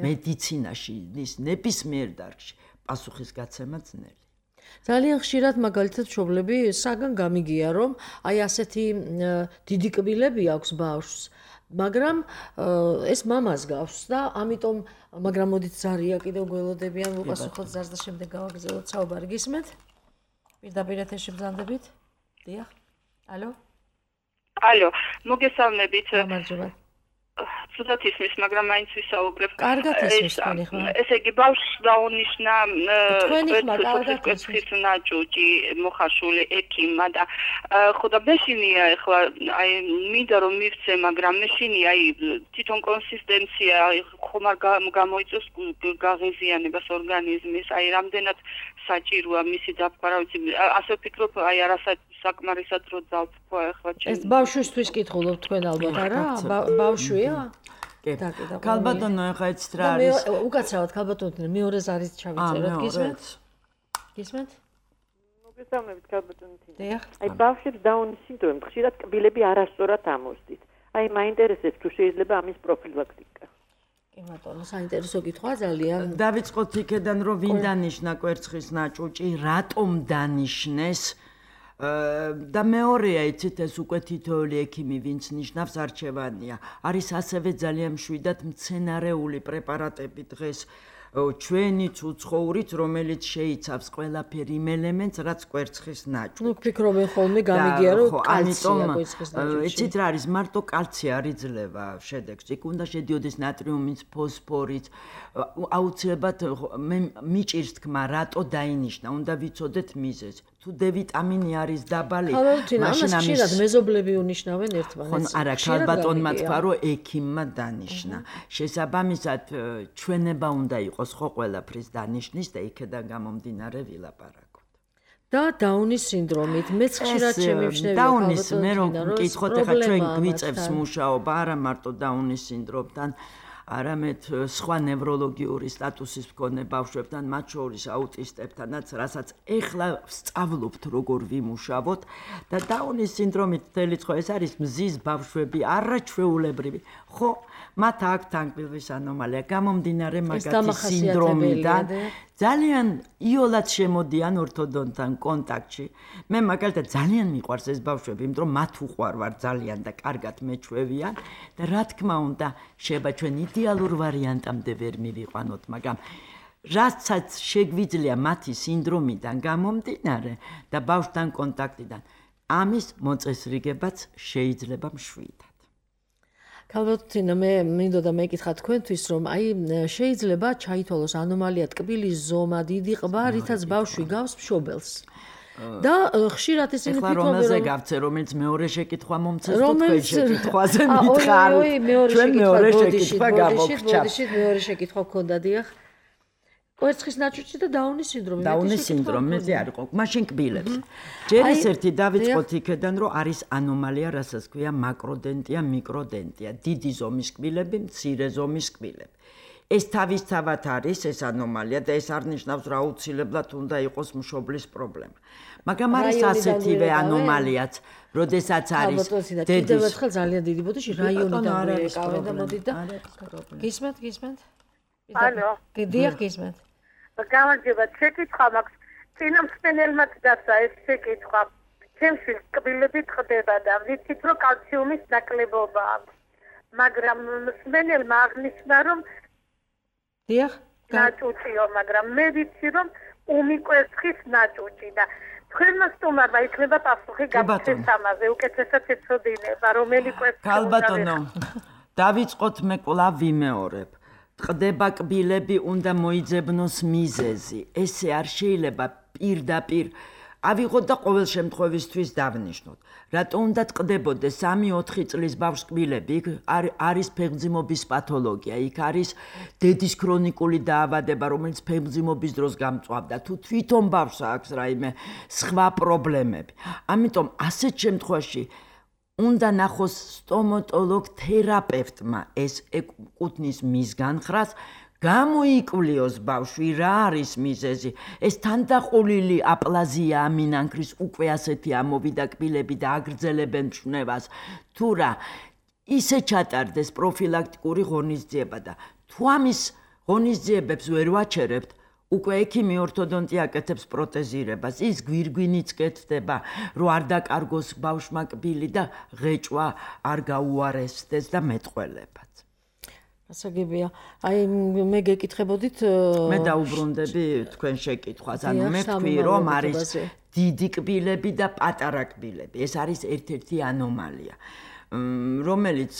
მედიცინაში ის ნებისმიერ დარგში პასუხისგაცემა ძნელი. ძალიან ხშირად მაგალითად მშობლები საგან გამიგია, რომ აი ასეთი დიდი კბილები აქვს ბავშვს, მაგრამ ეს მამას გავს და ამიტომ, მაგრამ მოდით ზარია კიდევ გველოდებიან, უპასუხოთ ზარს და შემდეგ გავაგრძელოთ საუბარი. გისმენთ? პირდაპირ ეთერში ბრძანდებით? დიახ. ალო? ალო, მოგესალმებით. გამარჯობა. ცუდად ისმის, მაგრამ მაინც ვისაუბრებ. კარგად ისმის თქვენი ხმა. ესე იგი, ბავშვს დაუნიშნა თქვენი ხმა კარგად ისმის ნაჭუჭი მოხარშული ექიმმა და ხო და მეშინია ახლა აი მინდა რომ მივცე, მაგრამ მეშინია აი თვითონ კონსისტენცია ხომ არ გამოიწვევს გაღიზიანებას ორგანიზმის, აი რამდენად საჭიროა მისი დაფქარა, ვიცი, ასე ვფიქრობ, აი საკმარისად რო დავთქვა ახლა ჩემს. ეს ბავშვისთვის კითხულობ თქვენ ალბათ, არა? ბავშვია? კი. ქალბატონო, ახლა იცით რა არის? უკაცრავად ქალბატონო, მეორე ზარიც ჩავიწეროთ, გისმენთ? გისმენთ? მოგესალმებით ქალბატონო. დიახ. აი ბავშვებს დაუნის სინდრომი ხშირად კბილები არასწორად ამოსდით. აი მაინტერესებს თუ შეიძლება ამის პროფილაქტიკა. კი ბატონო, საინტერესო კითხვა ძალიან. დავიწყოთ იქედან, რომ ვინ დანიშნა კვერცხის ნაჭუჭი, რატომ დანიშნეს? და მეორეა, იცით, ეს უკვე თითოეული ექიმი ვინც ნიშნავს არჩევანია. არის ასევე ძალიან მშვიდად მცენარეული პრეპარატები დღეს ჩვენიც უცხოურიც, რომელიც შეიცავს ყველაფერი იმ ელემენტს, რაც კვერცხის ნაჭუჭი. ფიქრობენ ხოლმე გამიგია რომ კალცია კვერცხის ნაჭუჭი. ეცით რა არის, მარტო კალცი არ იძლევა შედეგს. იქ უნდა შედიოდეს ნატრიუმიც, ფოსფორიც. აუცილებლად მიჭირს თქმა, რატო დაინიშნა, უნდა ვიცოდეთ მიზეზი. თუ D ვიტამინი არის დაბალი, მაშინ ამის მეზობლები უნიშნავენ ერთმანეთს. ხო, არა, ქალბატონმა თქვა, რომ ექიმმა დანიშნა. შესაბამისად, ჩვენება უნდა იყოს ხო ყველაფრის დანიშნის და იქედან გამომდინარე ვილაპარაკოთ. და დაუნის სინდრომით მეც ხშირად შემიმჩნევია დაუნის მე რომ მკითხოთ ახლა ჩვენ გვიწევს მუშაობა არა მარტო დაუნის სინდრომთან არამედ სხვა ნევროლოგიური სტატუსის მქონე ბავშვებთან, მათ შორის აუტისტებთანაც, რასაც ეხლა ვსწავლობთ როგორ ვიმუშავოთ და დაუნის სინდრომით თელიც ხო ეს არის მზის ბავშვები, არაჩვეულებრივი. ხო, მათ აქვთ თანგბილვის ანომალია, გამომდინარე მაგათი სინდრომიდან ძალიან იოლად შემოდიან ორთოდონტთან კონტაქტში. მე მაგალითად ძალიან მიყვარს ეს ბავშვები, იმიტომ რომ მათ უყვარვარ ძალიან და კარგად მეჩვევიან და რა თქმა უნდა, შეიძლება ჩვენ იდეალურ ვარიანტამდე ვერ მივიყვანოთ, მაგრამ რასაც შეგვიძლია მათი სინდრომიდან გამომდინარე და ბავშვთან კონტაქტიდან, ამის მოწესრიგებაც შეიძლება მშვიდად. ქალბატონო, მე მინდოდა მეკითხა თქვენთვის, რომ აი შეიძლება ჩაითვალოს ანომალია ტკბილის ზომა, დიდი ყბა, რითაც ბავშვი გავს მშობელს. და ხშირად ისინი ფიქრობენ, რომ რომელზე გავცე, რომელიც მეორე შეკითხვა მომცეს თუ თქვენ შეკითხვაზე მითხარით. ჩვენ მეორე შეკითხვა გამოგჩა. მეორე შეკითხვა გქონდა, დიახ. კვერცხის ნაჭუჭი და დაუნის სინდრომი. დაუნის სინდრომი არ იყო. მაშინ კბილებს. ჯერ ის ერთი დავიწყოთ იქედან, რომ არის ანომალია, რასაც ქვია მაკროდენტია, მიკროდენტია. დიდი ზომის კბილები, მცირე ზომის კბილები. ეს თავისთავად არის ეს ანომალია და ეს არ ნიშნავს, რომ აუცილებლად უნდა იყოს მშობლის პრობლემა. მაგრამ არის ასეთივე ანომალიაც, როდესაც არის კიდევ ერთხელ ძალიან დიდი ბოდიში რაიონიდან ეკავენ და მოდით და გისმენთ? ალო. დიახ, გისმენთ. გამარჯობა, შეკითხვა მაქვს. წინა მსმენელმა დასა ეს შეკითხვა. ჩემში კბილები ტყდება და ვიცით, რომ კალციუმის ნაკლებობა აქვს. მაგრამ მსმენელმა აღნიშნა, რომ დიახ, ნაჭუჭიო, მაგრამ მე ვიცი, რომ უმიკვერცხის ნაჭუჭი და თქვენმა სტუმარმა იქნება პასუხი გაგცეს ამაზე, უკეთესად ეცოდინება, რომელი კვერცხი. ქალბატონო, დავიწყოთ მე კვლავ ვიმეორებ. ტყდება კბილები, უნდა მოიძებნოს მიზეზი. ესე არ შეიძლება პირდაპირ ავიღოთ და ყოველ შემთხვევისთვის დავნიშნოთ. რატო უნდა ტყდებოდეს 3-4 წლის ბავშვს კბილები? იქ არის ფეხმძიმობის პათოლოგია, იქ არის დედის ქრონიკული დაავადება, რომელიც ფეხმძიმობის დროს გამწვავდა. თუ თვითონ ბავშვს აქვს რაიმე სხვა პრობლემები. ამიტომ ასეთ შემთხვევაში უნდა ნახოს სტომატოლოგ თერაპევტმა ეს ეკუთვნის მის განხრას, გამოიკვლიოს ბავშვი რა არის მიზეზი. ეს თანდაყოლილი აპლაზია ამინანქრის უკვე ასეთი ამოვიდა კბილები და აგრძელებენ მშვნევას. თუ რა ისე ჩატარდეს პროფილაქტიკური ღონისძიება და თუ ამის ღონისძიებებს ვერ ვაჩერებთ, უკვე ექიმი ორთოდონტი აკეთებს პროტეზირებას, ის გვირგვინიც კეთდება, რომ არ დაკარგოს ბავშვმა კბილი და ღეჭვა არ გაუარესდეს და მეტყველებაც. ასაგებია. აი მე გეკითხებოდით, მე დაუბრუნდები თქვენ შეკითხვას. ანუ მე ვთქვი, რომ არის დიდი კბილები და პატარა კბილები. ეს არის ერთ-ერთი ანომალია, რომელიც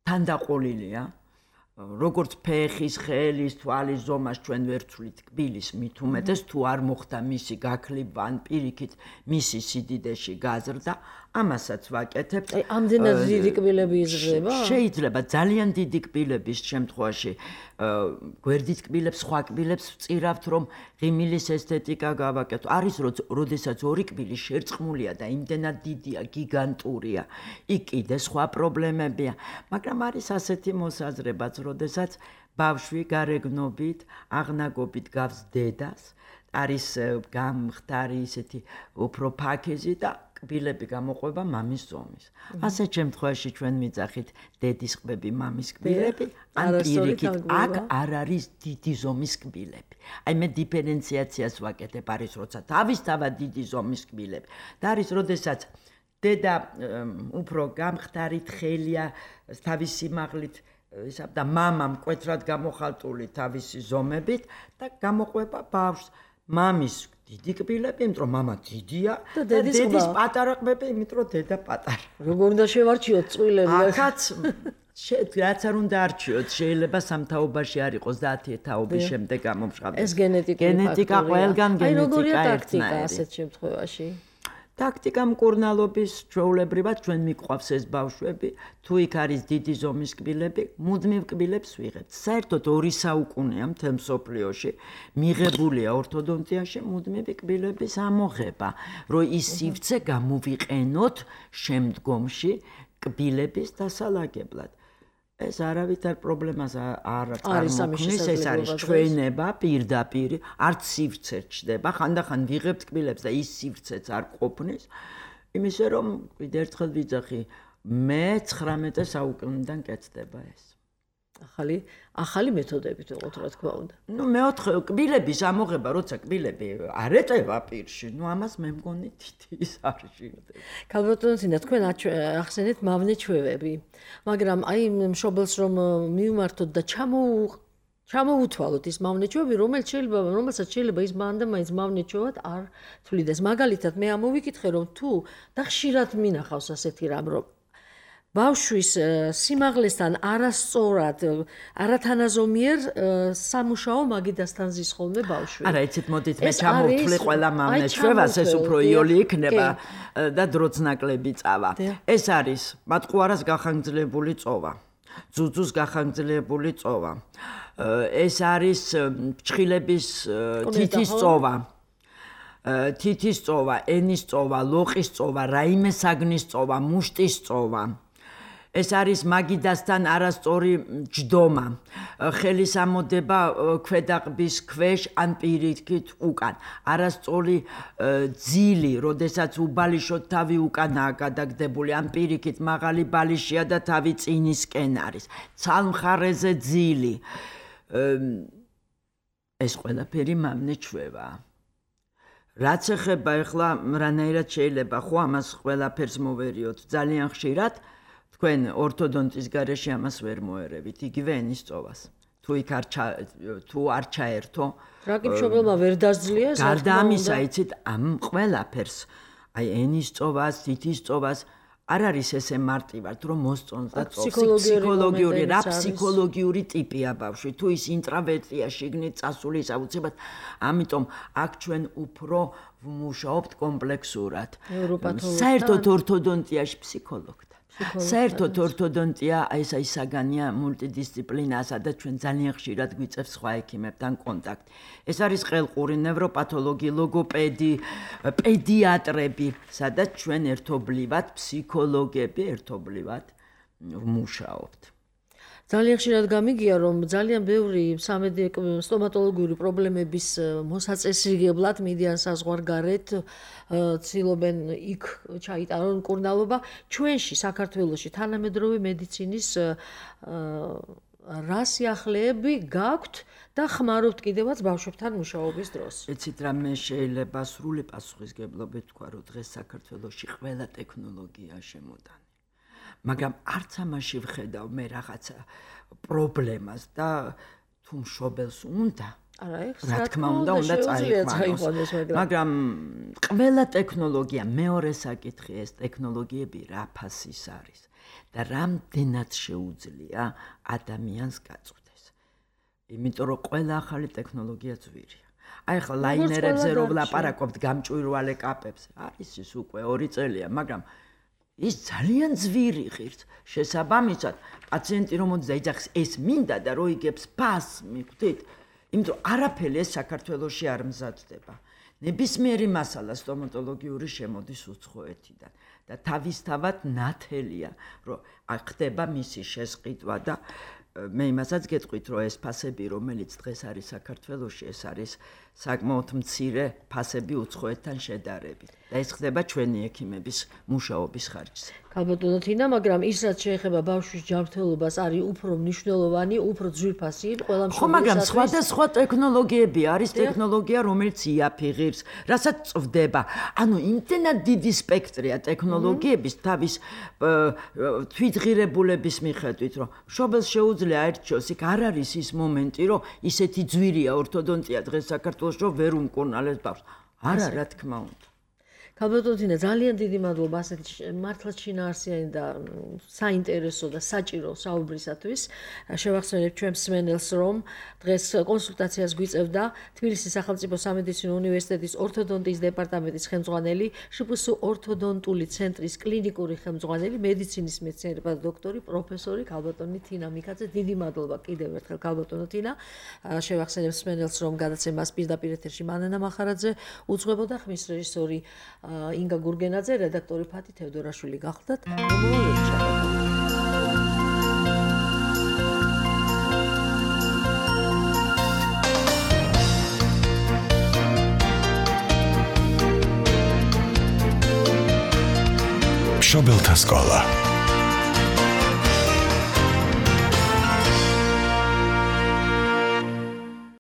თანდაყოლილია. როგორც ფეხის, ხელის, თვალის ზომას ჩვენ ვერ ვცვლით კბილის მით უმეტეს, თუ არ მოხდა მისი გაქლიბვა ან პირიქით მისი სიდიდეში გაზრდა, ამასაც ვაკეთებთ. ამდენად დიდი კბილები იზრდება? შეიძლება ძალიან დიდი კბილების შემთხვევაში გვერდით კბილებს, სხვა კბილებს ვწირავთ, რომ ღიმილის ესთეტიკა გავაკეთო. არის როდესაც ორი კბილი შერწყმულია და იმდენად დიდია, გიგანტურია, იქ კიდე სხვა პრობლემებია. მაგრამ არის ასეთი მოსაზრებაც, როდესაც ბავშვი გარეგნობით, აღნაგობით გავს დედას, არის გამხდარი ისეთი უფრო ფაქეზი და კბილები გამოყვება მამის ზომის. ასეთ შემთხვევაში ჩვენ მიძახით დედის ყბები, მამის კბილები, ან პირიქით აქ არ არის დიდი ზომის კბილები. აი მე დიფერენციაციას ვაკეთებ, არის როცა თავისთავად დიდი ზომის კბილები და არის როდესაც დედა უფრო გამხდარი თხელია, თავის სიმაღლით ისა და მამა მკვეთრად გამოხალტული თავისი ზომებით და გამოყვება ბავშვს. მამის დიდი კბილები, იმიტომ რომ მამა დიდია და დედის პატარა ყბები, იმიტომ რომ დედა პატარა. როგორ უნდა შევარჩიოთ წვილები? აქაც რაც არ უნდა არჩიოთ, შეიძლება სამთაობაში არ იყოს და 10 თაობის შემდეგ გამომშრალდეს. ეს გენეტიკა ყველგან გენეტიკა აი როგორია ტაქტიკა ასეთ შემთხვევაში? ტაქტიკა მკურნალობის ჩვეულებრივად ჩვენ მიყვავს ეს ბავშვები, თუ იქ არის დიდი ზომის კბილები, მუდმივ კბილებს ვიღებთ. საერთოდ 2 საუკუნეა მთელ მსოფლიოში მიღებულია ორთოდონტიაში მუდმივი კბილების ამოღება, რომ ის სივრცე გამოვიყენოთ შემდგომში კბილების დასალაგებლად. ეს არავითარ პრობლემას არ წარმოქმნის, ეს არის ჩვენება პირდაპირ, არც სივრცე ჩდება, ხანდახან ვიღებთ კბილებს და ის სივრცეც არ ყოფნის, იმისე რომ კიდევ ერთხელ ვიძახი, მე-19 საუკუნიდან კეთდება ეს. ახალი მეთოდებით ვიყოთ, რა თქმა უნდა. მეოთხე კბილების ამოღება, როცა კბილები არ ეტევა პირში, ამას მე მგონი თითის არ ჟირდება. ქალბატონო, თქვენ ახსენეთ მავნე ჩვევები, მაგრამ აი მშობელს რომ მივმართოთ და ჩამოუთვალოთ ის მავნე ჩვევები, რომელსაც შეიძლება ის მანდა მაინც მავნე ჩვევად არ თვლიდეს. მაგალითად, მე ამოვიკითხე რომ თუ და ხშირად მინახავს ასეთი რამ, რომ ბავშვის სიმაღლესთან არასწორად, არათანაზომიერ სამუშაო მაგიდასთან ზის ხოლმე ბავშვი. არა, იცით, მოდით მე ჩამოვთვლი ყველა მავნე ჩვევას, ეს უფრო იოლი იქნება და დროც ნაკლები წავა. ეს არის მატყუარას გახანგრძლივებული წოვა, ძუძუს გახანგრძლივებული წოვა. ეს არის ფრჩხილების თითის წოვა. თითის წოვა, ენის წოვა, ლოყის წოვა, რაიმე საგნის წოვა, მუშტის წოვა. ეს არის მაგიდასთან არასწორი ჯდომა, ხელის ამოდება ქვედაყბის ქვეშ ან პირიქით უკან, არასწორი ძილი, როდესაც უბალიშოთ თავი უკანაა გადაგდებული, ან პირიქით მაღალი ბალიშია და თავი წინისკენ არის, ცალმხარეზე ძილი. ეს ყველაფერი მავნე ჩვევაა. რაც ეხება ახლა რანაირად შეიძლება ხო ამას ყველაფერს მოვერიოთ, ძალიან ხშირად თქვენ ორთოდონტის გარეშე ამას ვერ მოერევით, იგივე ენის წოვას. თუ არ ჩაერთო, რა კი მშობელმა ვერ დაძლია ეს? გარდა ამისა, იცით, ამ ყველაფერს, აი ენის წოვას, თითის წოვას არ არის ესე მარტივად, რომ მოსწონს და ფსიქოლოგიური ტიპია ბავშვი, თუ ის ინტრავერტია, შიგნით წასული აუცილებლად, ამიტომ აქ ჩვენ უფრო ვმუშაობთ კომპლექსურად. საერთოდ ორთოდონტიაში ფსიქოლოგთან. საერთოდ ორთოდონტია ეს საგანია მულტიდისციპლინა, სადაც ჩვენ ძალიან ხშირად გვიწევს სხვა ექიმებთან კონტაქტი. ეს არის ყელყური ნევროპათოლოგი, ლოგოპედი, პედიატრები, სადაც ჩვენ ერთობლივად ფსიქოლოგები ერთობლივად ვმუშაობთ. ძალიან ხშირად გამიგია, რომ ძალიან ბევრი სტომატოლოგიური პრობლემების მოსაწესრიგებლად მიდიან საზღვარგარეთ, ცდილობენ იქ ჩაიტარონ მკურნალობა. ჩვენში საქართველოში თანამედროვე მედიცინის რა სიახლეები გაქვთ და ხმარობთ კიდევაც ბავშვებთან მუშაობის დროს? ეცით რა, მე შეიძლება სრული პასუხისგებლობით თქვა, რომ დღეს საქართველოში ყველა ტექნოლოგია შემოდანი. მაგრამ არც ამაში ვხედავ მე რაღაცა პრობლემას და თუ მშობელს უნდა, რა თქმა უნდა წაიყვანოს. მაგრამ ყველა ტექნოლოგია, მეორე საკითხი, ეს ტექნოლოგიები რა ფასის არის და რამდენად შეუძლია ადამიანს გაწვდეს. იმიტომ რომ ყველა ახალი ტექნოლოგია ძვირია. აი ახლა ლაინერებზე რო ვლაპარაკობთ გამჭვირვალე კაპებს, არის ის უკვე 2 წელია, მაგრამ ის ძალიან ძვირი ღირს. შესაბამისად, პაციენტი რომ მოდის და იძახს, ეს მინდა და რო იგებს ფასს, მიხვდით? იმიტომ არაფერი ეს საქართველოში არ მზადდება. ნებისმიერი მასალა სტომატოლოგიური შემოდის უცხოეთიდან და თავისთავად ნათელია, რომ ხდება მისი შესყიდვა და მე იმასაც გეტყვით, რომ ეს ფასები, რომელიც დღეს არის საქართველოში, ეს არის საკმაოდ მცირე ფასები უცხოეთთან შედარებით და ეს ხდება ჩვენი ექიმების მუშაობის ხარჯზე. ქალბატონო თინა, მაგრამ ის რაც შეეხება ბავშვის ჯანმრთელობას არის უფრო მნიშვნელოვანი, უფრო ძვირფასი ყველა ხო, მაგრამ სხვადასხვა ტექნოლოგიები არის, ტექნოლოგია, რომელიც იაფიღებს, რასაც წვდება. ანუ იმდენად დიდი სპექტრია ტექნოლოგიების თავის თვითღირებულების მიხედვით, რომ მშობელს შეუძლია აერჩიოს, იქ არ არის ის მომენტი, რომ ისეთი ძვირია ორთოდონტია დღეს საქართველოს, რომ ვერ უმკურნალებს ბავშვს. არა, რა თქმა უნდა. ქალბატონო თინა, ძალიან დიდი მადლობა ასეთი მართლაც შინაარსიანი და საინტერესო და საჭირო საუბრისათვის. შევახსენებთ ჩვენს მსმენელს, რომ დღეს კონსულტაციას გვიწევდა თბილისის სახელმწიფო სამედიცინო უნივერსიტეტის ორთოდონტიის დეპარტამენტის ხელმძღვანელი, შპს ორთოდონტული ცენტრის კლინიკური ხელმძღვანელი, მედიცინის მეცნიერებათა დოქტორი, პროფესორი ქალბატონი თინა მიქაძე. დიდი მადლობა კიდევ ერთხელ ქალბატონო თინა. შევახსენებთ მსმენელს, რომ გადაცემას პირდაპირ ეთერში მანანა მახარაძე უძღვებოდა, ხმის რეჟისორი ინგა გურგენაძე, რედაქტორი ფათი თევდორაშვილი გახლდათ. მშობელთა სკოლა.